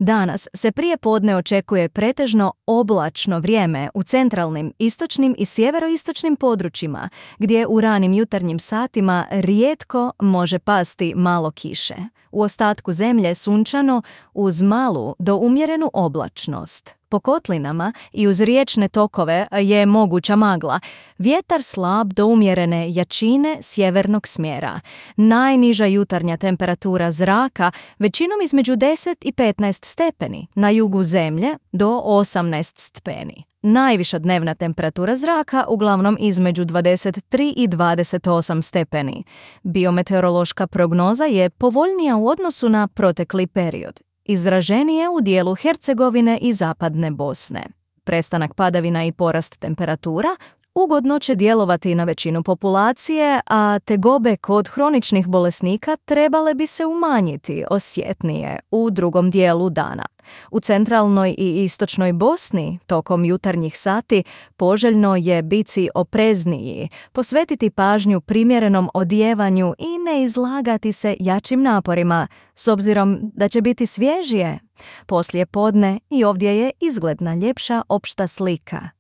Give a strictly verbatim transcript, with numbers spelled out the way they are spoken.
Danas se prije podne očekuje pretežno oblačno vrijeme u centralnim, istočnim i sjeveroistočnim područjima, gdje u ranim jutarnjim satima rijetko može pasti malo kiše. U ostatku zemlje sunčano uz malu do umjerenu oblačnost. Po kotlinama i uz riječne tokove je moguća magla. Vjetar slab do umjerene jačine sjevernog smjera. Najniža jutarnja temperatura zraka većinom između deset i petnaest stepeni, na jugu zemlje do osamnaest stepeni. Najviša dnevna temperatura zraka uglavnom između dvadeset tri i dvadeset osam stepeni. Biometeorološka prognoza je povoljnija u odnosu na protekli period. Izraženije u dijelu Hercegovine i zapadne Bosne. Prestanak padavina i porast temperatura ugodno će djelovati na većinu populacije, a tegobe kod hroničnih bolesnika trebale bi se umanjiti osjetnije u drugom dijelu dana. U centralnoj i istočnoj Bosni tokom jutarnjih sati poželjno je biti oprezniji, posvetiti pažnju primjerenom odijevanju i ne izlagati se jačim naporima, s obzirom da će biti svježije. Poslije podne i ovdje je izgledna ljepša opšta slika.